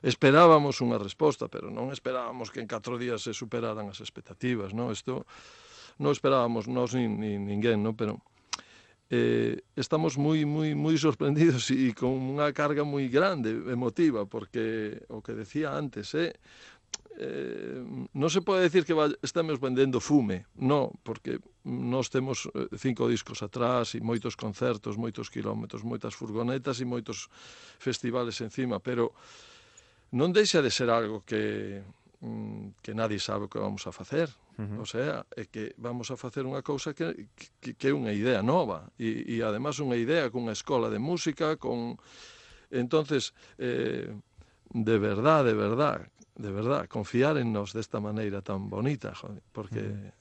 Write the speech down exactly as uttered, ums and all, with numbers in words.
esperábamos unha resposta, pero non esperábamos que en catro días se superaran as expectativas, non? Isto non esperábamos nós nin, nin ninguén, non? Pero eh, estamos moi, moi, moi sorprendidos e con unha carga moi grande, emotiva, porque o que decía antes, eh, eh, non se pode decir que estamos vendendo fume, non, porque nós temos cinco discos atrás e moitos concertos, moitos kilómetros, moitas furgonetas e moitos festivales encima, pero non deixa de ser algo que, que nadie sabe o que vamos a facer. Uh-huh. O sea, é que vamos a facer unha cousa que, que, que é unha idea nova e, e además unha idea con unha escola de música, con... Entonces, eh, de verdad, de verdad, de verdad, confiar en nos desta maneira tan bonita, joder, porque... Uh-huh.